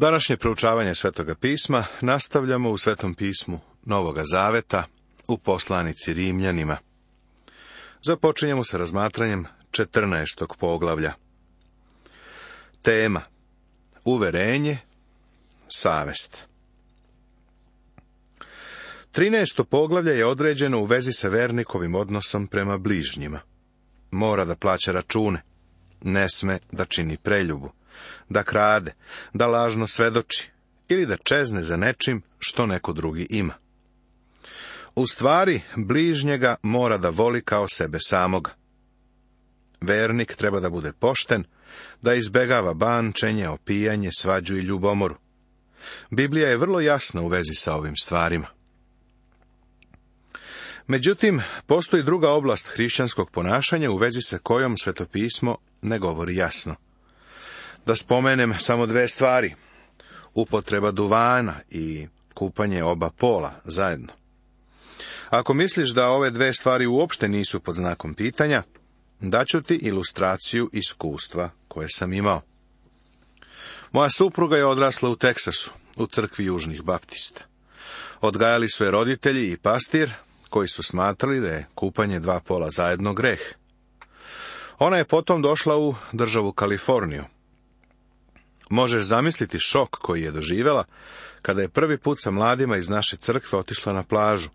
Današnje proučavanje Svetoga pisma nastavljamo u Svetom pismu Novoga Zaveta u poslanici Rimljanima. Započinjemo sa razmatranjem 14. poglavlja. Tema: uverenje, savest. 13. poglavlje je određeno u vezi sa vernikovim odnosom prema bližnjima. Mora da plaća račune, ne sme da čini preljubu, da krade, da lažno svedoči ili da čezne za nečim što neko drugi ima. U stvari, bližnjega mora da voli kao sebe samoga. Vernik treba da bude pošten, da izbegava bančenje, opijanje, svađu i ljubomoru. Biblija je vrlo jasna u vezi sa ovim stvarima. Međutim, postoji druga oblast hrišćanskog ponašanja u vezi sa kojom Sveto pismo ne govori jasno. Da spomenem samo dve stvari: upotreba duvana i kupanje oba pola zajedno. Ako misliš da ove dve stvari uopšte nisu pod znakom pitanja, daću ti ilustraciju iskustva koje sam imao. Moja supruga je odrasla u Teksasu, u crkvi Južnih Baptista. Odgajali su je roditelji i pastir, koji su smatrali da je kupanje dva pola zajedno greh. Ona je potom došla u državu Kaliforniju. Možeš zamisliti šok koji je doživjela kada je prvi put sa mladima iz naše crkve otišla na plažu.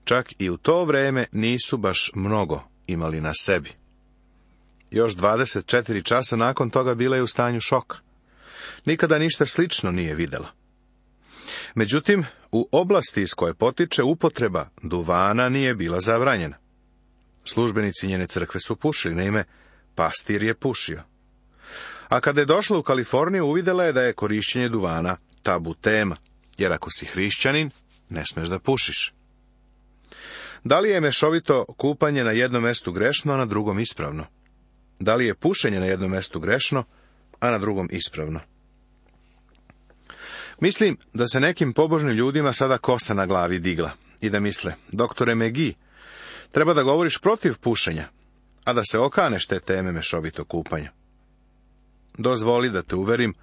Čak i u to vrijeme nisu baš mnogo imali na sebi. Još 24 časa nakon toga bila je u stanju šoka. Nikada ništa slično nije vidjela. Međutim, u oblasti iz koje potiče upotreba duvana nije bila zabranjena. Službenici njene crkve su pušili, naime, pastir je pušio. A kada je došla u Kaliforniju, uvidjela je da je korišćenje duvana tabu tema, jer ako si hrišćanin, ne smeš da pušiš. Da li je mešovito kupanje na jednom mjestu grešno, a na drugom ispravno? Da li je pušenje na jednom mjestu grešno, a na drugom ispravno? Mislim da se nekim pobožnim ljudima sada kosa na glavi digla i da misle: doktore McGee, treba da govoriš protiv pušenja, a da se okaneš te teme mešovito kupanja. Dozvoli da te uverim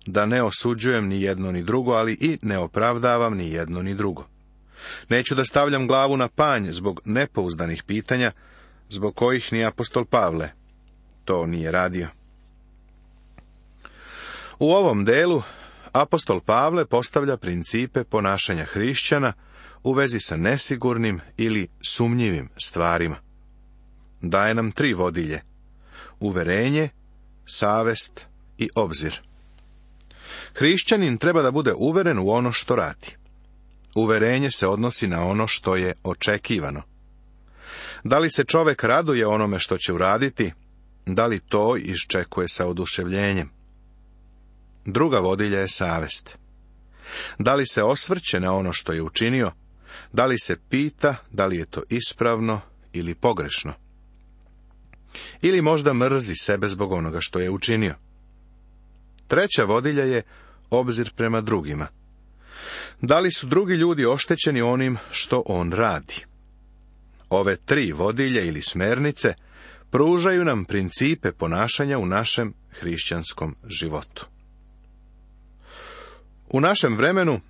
da ne osuđujem ni jedno ni drugo, ali i ne opravdavam ni jedno ni drugo. Neću da stavljam glavu na panj zbog nepouzdanih pitanja, zbog kojih ni apostol Pavle to nije radio. U ovom delu apostol Pavle postavlja principe ponašanja hrišćana u vezi sa nesigurnim ili sumnjivim stvarima. Daje nam 3 vodilje: uverenje, savest i obzir. Hrišćanin treba da bude uveren u ono što radi. Uverenje se odnosi na ono što je očekivano. Da li se čovjek raduje onome što će uraditi, da li to iščekuje sa oduševljenjem? Druga vodilja je savest. Da li se osvrće na ono što je učinio, da li se pita da li je to ispravno ili pogrešno? Ili možda mrzi sebe zbog onoga što je učinio? Treća vodilja je obzir prema drugima. Da li su drugi ljudi oštećeni onim što on radi? Ove 3 vodilje ili smernice pružaju nam principe ponašanja u našem hrišćanskom životu. U našem vremenu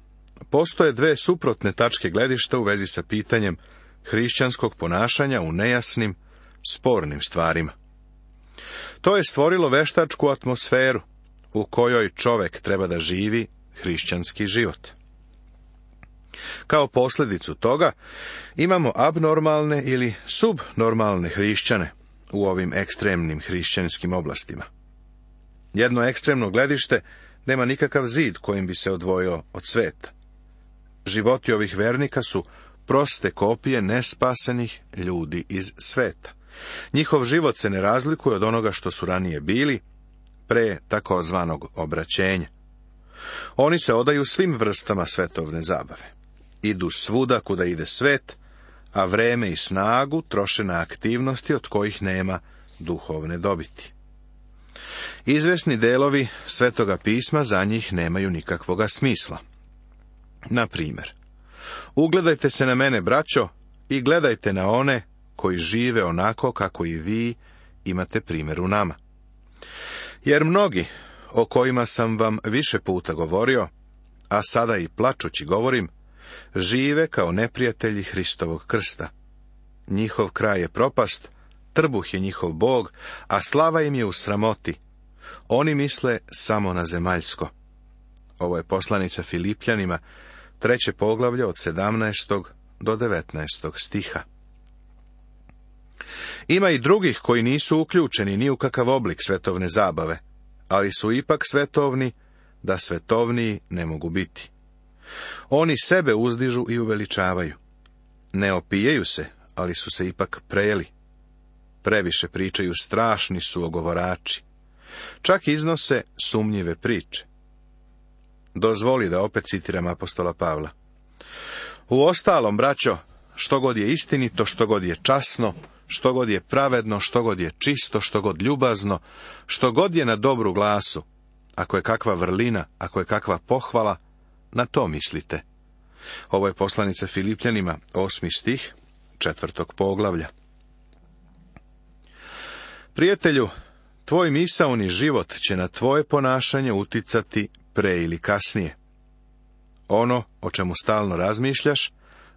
postoje 2 suprotne tačke gledišta u vezi sa pitanjem hrišćanskog ponašanja u nejasnim, spornim stvarima. To je stvorilo veštačku atmosferu u kojoj čovjek treba da živi hrišćanski život. Kao posljedicu toga imamo abnormalne ili subnormalne hrišćane u ovim ekstremnim hrišćanskim oblastima. Jedno ekstremno gledište nema nikakav zid kojim bi se odvojio od sveta. Životi ovih vernika su proste kopije nespasenih ljudi iz sveta. Njihov život se ne razlikuje od onoga što su ranije bili, pre takozvanog obraćenja. Oni se odaju svim vrstama svetovne zabave. Idu svuda kuda ide svet, a vreme i snagu troše na aktivnosti od kojih nema duhovne dobiti. Izvesni delovi Svetoga pisma za njih nemaju nikakvoga smisla. Na primjer, ugledajte se na mene, braćo, i gledajte na one koji žive onako kako i vi imate primjer u nama. Jer mnogi, o kojima sam vam više puta govorio, a sada i plačući govorim, žive kao neprijatelji Hristovog krsta. Njihov kraj je propast, trbuh je njihov bog, a slava im je u sramoti. Oni misle samo na zemaljsko. Ovo je poslanica Filipljanima, 3. poglavlje od 17. do 19. stiha. Ima i drugih koji nisu uključeni ni u kakav oblik svetovne zabave, ali su ipak svetovni, da svetovniji ne mogu biti. Oni sebe uzdižu i uveličavaju. Ne opijaju se, ali su se ipak prejeli. Previše pričaju, strašni su ogovorači. Čak iznose sumnjive priče. Dozvoli da opet citiram apostola Pavla. Uostalom, braćo, što god je istinito, što god je časno, što god je pravedno, što god je čisto, što god ljubazno, što god je na dobru glasu, ako je kakva vrlina, ako je kakva pohvala, na to mislite. Ovo je poslanica Filipljanima, 8. stih, 4. poglavlja. Prijatelju, tvoj misaoni život će na tvoje ponašanje uticati pre ili kasnije. Ono o čemu stalno razmišljaš,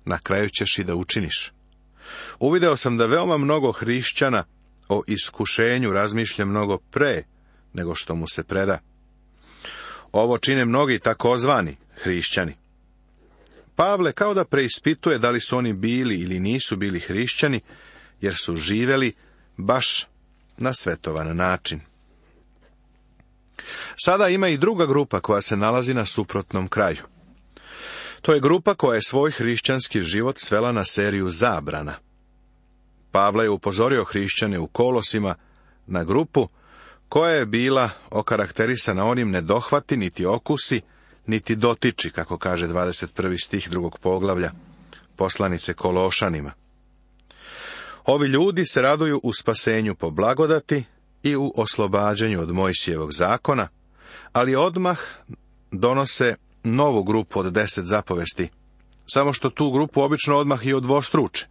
na kraju ćeš i da učiniš. Uvideo sam da veoma mnogo hrišćana o iskušenju razmišlja mnogo pre nego što mu se preda. Ovo čine mnogi takozvani hrišćani. Pavle kao da preispituje da li su oni bili ili nisu bili hrišćani, jer su živeli baš na svetovan način. Sada ima i druga grupa koja se nalazi na suprotnom kraju. To je grupa koja je svoj hrišćanski život svela na seriju zabrana. Pavle je upozorio hrišćane u Kolosima na grupu koja je bila okarakterisana onim nedohvati, niti okusi, niti dotiči, kako kaže 21. stih 2. poglavlja poslanice Kološanima. Ovi ljudi se raduju u spasenju po blagodati i u oslobađanju od Mojsijevog zakona, ali odmah donose novu grupu od 10 zapovesti, samo što tu grupu obično odmah i odvostruče.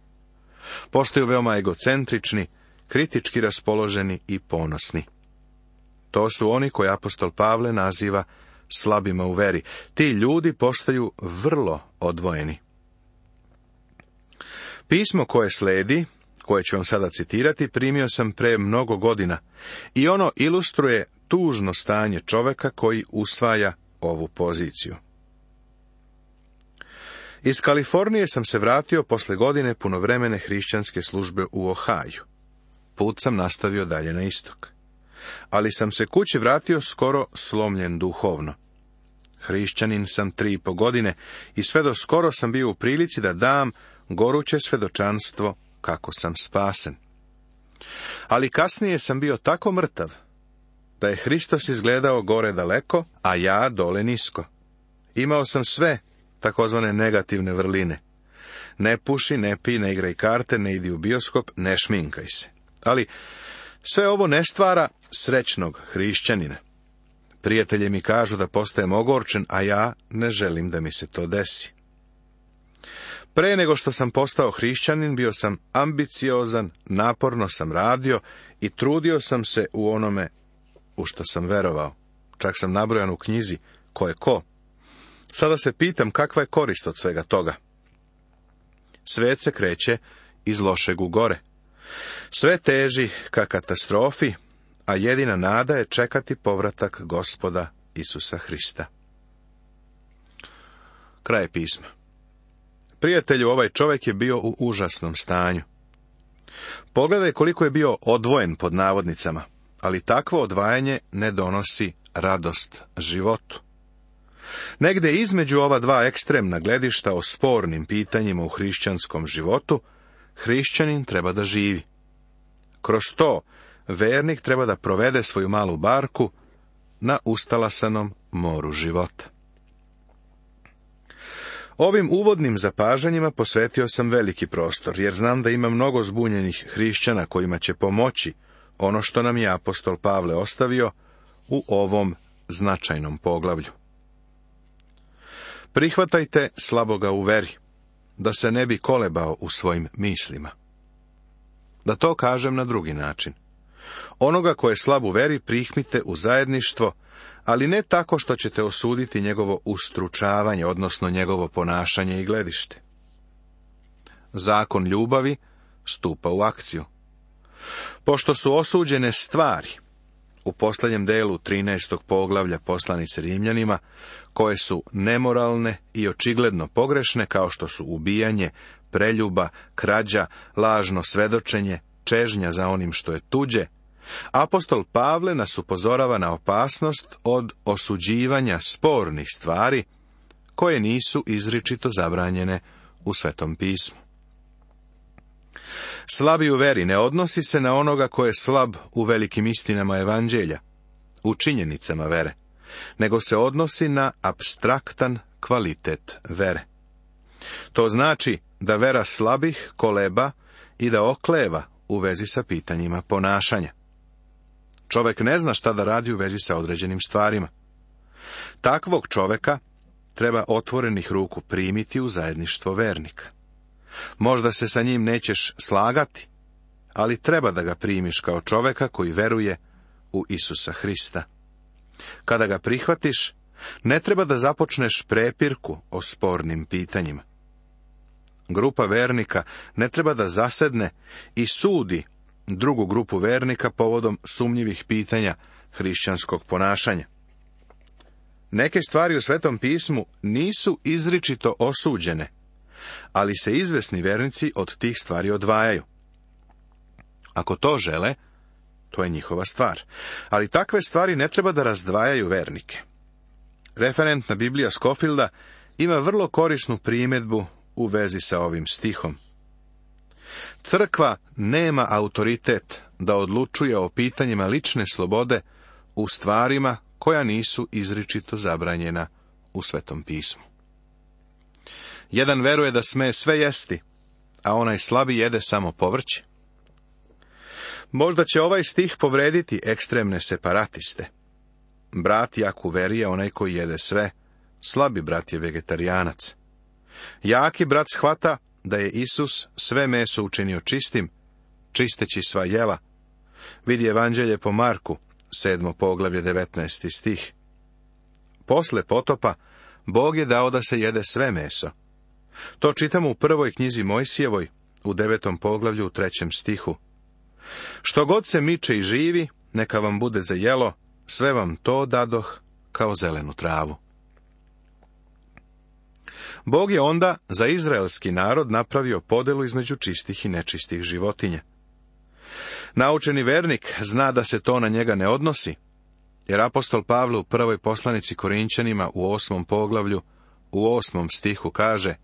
Postaju veoma egocentrični, kritički raspoloženi i ponosni. To su oni koje apostol Pavle naziva slabima u veri. Ti ljudi postaju vrlo odvojeni. Pismo koje sledi, koje ću vam sada citirati, primio sam pre mnogo godina i ono ilustruje tužno stanje čoveka koji usvaja ovu poziciju. Iz Kalifornije sam se vratio posle godine punovremene hrišćanske službe u Ohaju. Put sam nastavio dalje na istok. Ali sam se kući vratio skoro slomljen duhovno. Hrišćanin sam 3,5 godine i sve do skoro sam bio u prilici da dam goruće svedočanstvo kako sam spasen. Ali kasnije sam bio tako mrtav, da je Hristos izgledao gore daleko, a ja dole nisko. Imao sam sve takozvane negativne vrline. Ne puši, ne pij, ne igraj karte, ne idi u bioskop, ne šminkaj se. Ali sve ovo ne stvara srećnog hrišćanina. Prijatelji mi kažu da postajem ogorčen, a ja ne želim da mi se to desi. Pre nego što sam postao hrišćanin, bio sam ambiciozan, naporno sam radio i trudio sam se u onome u što sam verovao. Čak sam nabrojan u knjizi ko je ko. Sada se pitam kakva je korist od svega toga. Svet se kreće iz lošeg u gore. Sve teži ka katastrofi, a jedina nada je čekati povratak Gospoda Isusa Hrista. Kraj pisma. Prijatelju, ovaj čovjek je bio u užasnom stanju. Pogledaj koliko je bio odvojen pod navodnicama, ali takvo odvajanje ne donosi radost životu. Negde između ova dva ekstremna gledišta o spornim pitanjima u hrišćanskom životu, hrišćanin treba da živi. Kroz to, vernik treba da provede svoju malu barku na ustalasanom moru života. Ovim uvodnim zapažanjima posvetio sam veliki prostor, jer znam da ima mnogo zbunjenih hrišćana kojima će pomoći ono što nam je apostol Pavle ostavio u ovom značajnom poglavlju. Prihvatajte slaboga u veri, da se ne bi kolebao u svojim mislima. Da to kažem na drugi način. Onoga ko je slab u veri prihmite u zajedništvo, ali ne tako što ćete osuditi njegovo ustručavanje, odnosno njegovo ponašanje i gledište. Zakon ljubavi stupa u akciju. Pošto su osuđene stvari, u posljednjem delu 13. poglavlja poslanice Rimljanima, koje su nemoralne i očigledno pogrešne, kao što su ubijanje, preljuba, krađa, lažno svedočenje, čežnja za onim što je tuđe, apostol Pavle nas upozorava na opasnost od osuđivanja spornih stvari, koje nisu izričito zabranjene u Svetom pismu. Slabi u veri ne odnosi se na onoga ko je slab u velikim istinama evanđelja, u činjenicama vere, nego se odnosi na apstraktan kvalitet vere. To znači da vera slabih koleba i da okleva u vezi sa pitanjima ponašanja. Čovjek ne zna šta da radi u vezi sa određenim stvarima. Takvog čovjeka treba otvorenih ruku primiti u zajedništvo vernika. Možda se sa njim nećeš slagati, ali treba da ga primiš kao čovjeka koji veruje u Isusa Hrista. Kada ga prihvatiš, ne treba da započneš prepirku o spornim pitanjima. Grupa vernika ne treba da zasedne i sudi drugu grupu vernika povodom sumnjivih pitanja hrišćanskog ponašanja. Neke stvari u Svetom pismu nisu izričito osuđene, ali se izvesni vernici od tih stvari odvajaju. Ako to žele, to je njihova stvar, ali takve stvari ne treba da razdvajaju vernike. Referentna Biblija Scofielda ima vrlo korisnu primjedbu u vezi sa ovim stihom. Crkva nema autoritet da odlučuje o pitanjima lične slobode u stvarima koja nisu izričito zabranjena u Svetom pismu. Jedan veruje da sme sve jesti, a onaj slabi jede samo povrće. Možda će ovaj stih povrediti ekstremne separatiste. Brat jak u veri je onaj koji jede sve, slabi brat je vegetarijanac. Jaki brat shvata da je Isus sve meso učinio čistim, čisteći sva jela. Vidi Evanđelje po Marku, 7. poglavlje, 19. stih. Posle potopa, Bog je dao da se jede sve meso. To čitamo u prvoj knjizi Mojsijevoj, u 9. poglavlju, u 3. stihu. Što god se miče i živi, neka vam bude za jelo, sve vam to dadoh kao zelenu travu. Bog je onda za izraelski narod napravio podelu između čistih i nečistih životinja. Naučeni vernik zna da se to na njega ne odnosi, jer apostol Pavle u prvoj poslanici Korinćanima u 8. poglavlju, u 8. stihu kaže: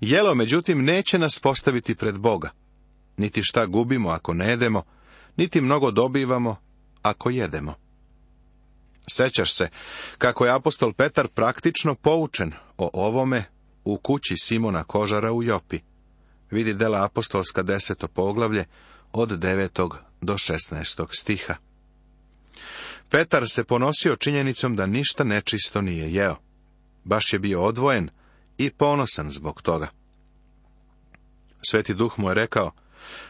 jelo, međutim, neće nas postaviti pred Boga, niti šta gubimo ako ne jedemo, niti mnogo dobivamo ako jedemo. Sećaš se kako je apostol Petar praktično poučen o ovome u kući Simona Kožara u Jopi. Vidi Dela apostolska 10. poglavlje od 9. do 16. stiha. Petar se ponosio činjenicom da ništa nečisto nije jeo. Baš je bio odvojen i ponosan zbog toga. Sveti Duh mu je rekao: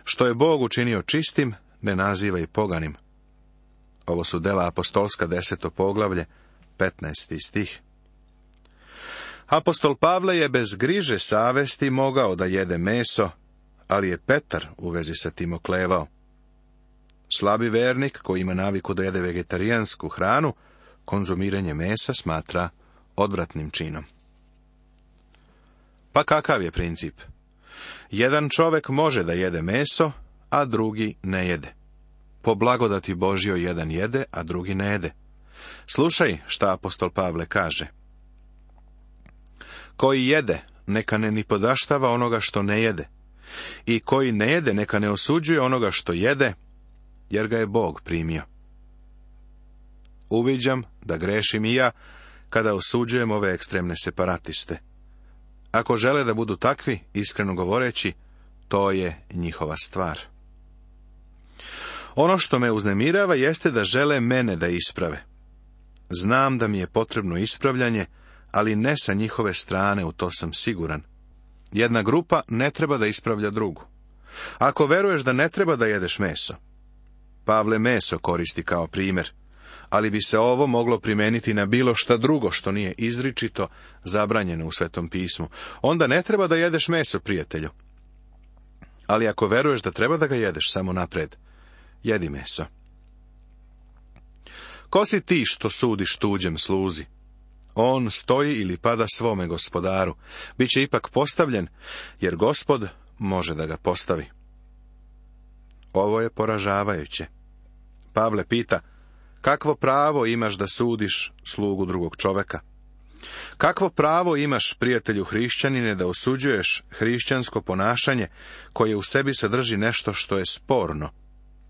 što je Bog učinio čistim, ne nazivaj poganim. Ovo su Dela apostolska 10. poglavlje, 15. stih. Apostol Pavle je bez griže savesti mogao da jede meso, ali je Petar u vezi sa tim oklevao. Slabi vernik koji ima naviku da jede vegetarijansku hranu, konzumiranje mesa smatra odvratnim činom. Pa kakav je princip? Jedan čovjek može da jede meso, a drugi ne jede. Po blagodati Božjoj jedan jede, a drugi ne jede. Slušaj šta apostol Pavle kaže. Koji jede, neka ne ni podaštava onoga što ne jede. I koji ne jede, neka ne osuđuje onoga što jede, jer ga je Bog primio. Uviđam da grešim i ja kada osuđujem ove ekstremne separatiste. Ako žele da budu takvi, iskreno govoreći, to je njihova stvar. Ono što me uznemirava jeste da žele mene da isprave. Znam da mi je potrebno ispravljanje, ali ne sa njihove strane, u to sam siguran. Jedna grupa ne treba da ispravlja drugu. Ako veruješ da ne treba da jedeš meso, Pavle meso koristi kao primjer, ali bi se ovo moglo primijeniti na bilo šta drugo što nije izričito zabranjeno u Svetom pismu. Onda ne treba da jedeš meso, prijatelju. Ali ako veruješ da treba da ga jedeš, samo napred, jedi meso. Ko si ti što sudiš tuđem sluzi? On stoji ili pada svome gospodaru. Biće ipak postavljen, jer Gospod može da ga postavi. Ovo je poražavajuće. Pavle pita, kakvo pravo imaš da sudiš slugu drugog čoveka? Kakvo pravo imaš, prijatelju hrišćanine, da osuđuješ hrišćansko ponašanje koje u sebi sadrži nešto što je sporno?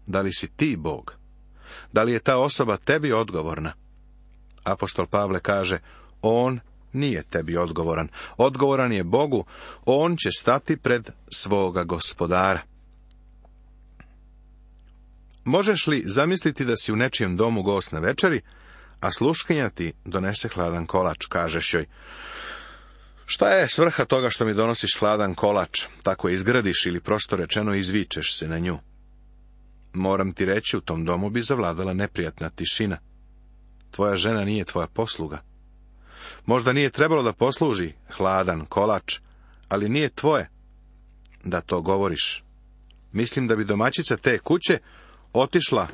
Da li si ti Bog? Da li je ta osoba tebi odgovorna? Apostol Pavle kaže, on nije tebi odgovoran. Odgovoran je Bogu, on će stati pred svoga gospodara. Možeš li zamisliti da si u nečijem domu gost na večeri, a sluškinja ti donese hladan kolač, kažeš joj, šta je svrha toga što mi donosiš hladan kolač, tako izgradiš ili prosto rečeno izvičeš se na nju? Moram ti reći, u tom domu bi zavladala neprijatna tišina. Tvoja žena nije tvoja posluga. Možda nije trebalo da posluži hladan kolač, ali nije tvoje da to govoriš. Mislim da bi domaćica te kuće otišla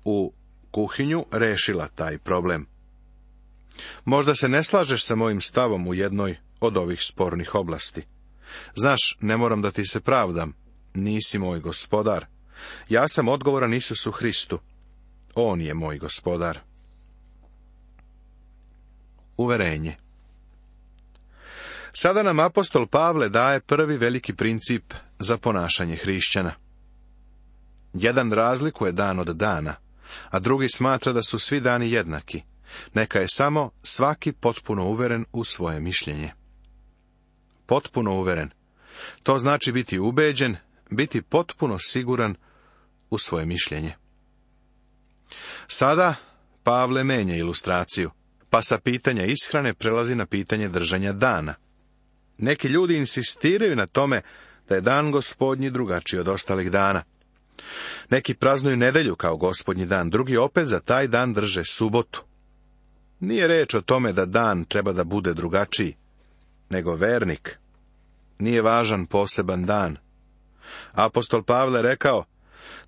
u kuhinju, rešila taj problem. Možda se ne slažeš sa mojim stavom u jednoj od ovih spornih oblasti. Znaš, ne moram da ti se pravdam. Nisi moj gospodar. Ja sam odgovoran Isusu Hristu. On je moj gospodar. Uverenje. Sada nam apostol Pavle daje prvi veliki princip za ponašanje hrišćana. Jedan razlikuje dan od dana, a drugi smatra da su svi dani jednaki. Neka je samo svaki potpuno uveren u svoje mišljenje. Potpuno uveren. To znači biti ubeđen, biti potpuno siguran u svoje mišljenje. Sada Pavle menja ilustraciju, pa sa pitanja ishrane prelazi na pitanje držanja dana. Neki ljudi insistiraju na tome da je dan Gospodnji drugačiji od ostalih dana. Neki praznuju nedelju kao Gospodnji dan, drugi opet za taj dan drže subotu. Nije reč o tome da dan treba da bude drugačiji, nego vernik. Nije važan poseban dan. Apostol Pavle rekao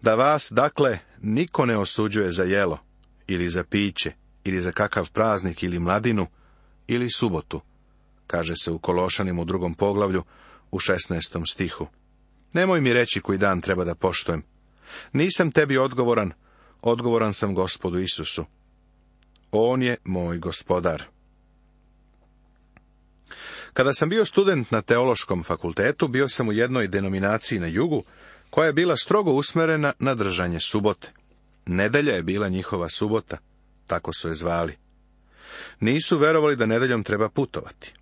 da vas, dakle, niko ne osuđuje za jelo, ili za piće, ili za kakav praznik, ili mladinu, ili subotu, kaže se u Kološanima u 2. poglavlju, u 16. stihu. Nemoj mi reći koji dan treba da poštujem. Nisam tebi odgovoran, odgovoran sam Gospodu Isusu. On je moj gospodar. Kada sam bio student na teološkom fakultetu, bio sam u jednoj denominaciji na jugu, koja je bila strogo usmerena na držanje subote. Nedelja je bila njihova subota, tako su je zvali. Nisu verovali da nedeljom treba putovati.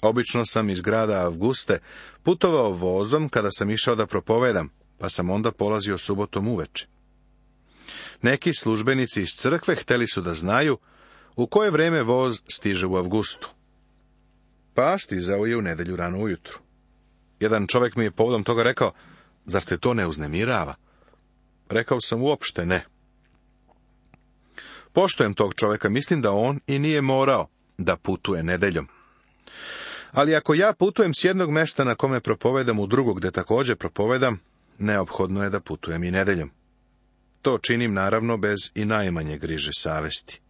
Obično sam iz grada Avguste putovao vozom kada sam išao da propovedam, pa sam onda polazio subotom uveče. Neki službenici iz crkve hteli su da znaju u koje vreme voz stiže u Avgustu. Pa stizao je u nedelju rano ujutru. Jedan čovjek mi je povodom toga rekao, zar te to ne uznemirava? Rekao sam, uopšte ne. Poštujem tog čovjeka, mislim da on i nije morao da putuje nedeljom. Ali ako ja putujem s jednog mesta na kome propovedam u drugog gde također propovedam, neophodno je da putujem i nedeljom. To činim naravno bez i najmanje griže savesti.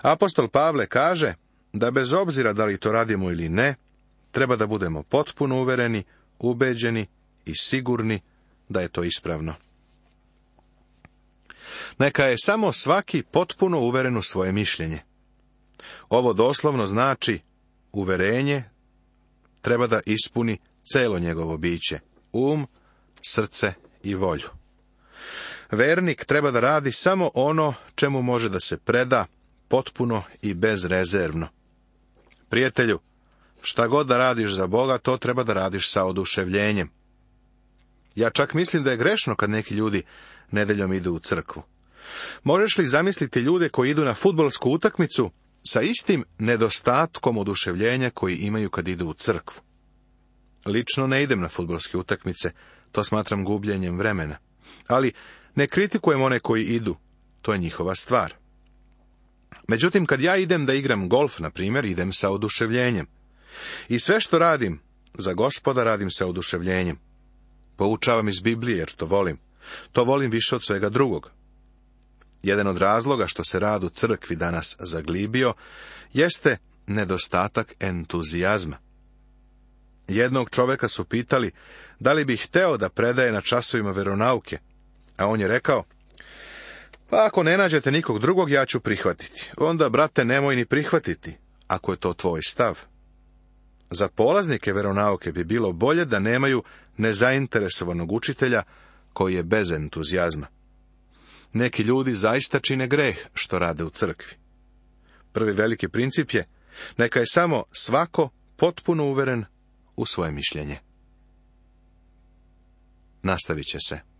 Apostol Pavle kaže da bez obzira da li to radimo ili ne, treba da budemo potpuno uvereni, ubeđeni i sigurni da je to ispravno. Neka je samo svaki potpuno uveren u svoje mišljenje. Ovo doslovno znači uverenje treba da ispuni celo njegovo biće, srce i volju. Vernik treba da radi samo ono čemu može da se preda potpuno i bezrezervno. Prijatelju, šta god da radiš za Boga, to treba da radiš sa oduševljenjem. Ja čak mislim da je grešno kad neki ljudi nedeljom idu u crkvu. Možeš li zamisliti ljude koji idu na fudbalsku utakmicu sa istim nedostatkom oduševljenja koji imaju kad idu u crkvu? Lično ne idem na fudbalske utakmice, to smatram gubljenjem vremena. Ali ne kritikujem one koji idu, to je njihova stvar. Međutim, kad ja idem da igram golf, na primjer, idem sa oduševljenjem. I sve što radim za Gospoda radim sa oduševljenjem. Poučavam iz Biblije jer to volim. To volim više od svega drugog. Jedan od razloga što se rad u crkvi danas zaglibio, jeste nedostatak entuzijazma. Jednog čovjeka su pitali da li bi hteo da predaje na časovima veronauke, a on je rekao: pa ako ne nađete nikog drugog, ja ću prihvatiti. Onda, brate, nemoj ni prihvatiti, ako je to tvoj stav. Za polaznike veronauke bi bilo bolje da nemaju nezainteresovanog učitelja koji je bez entuzijazma. Neki ljudi zaista čine greh što rade u crkvi. Prvi veliki princip je: neka je samo svako potpuno uveren u svoje mišljenje. Nastavit će se.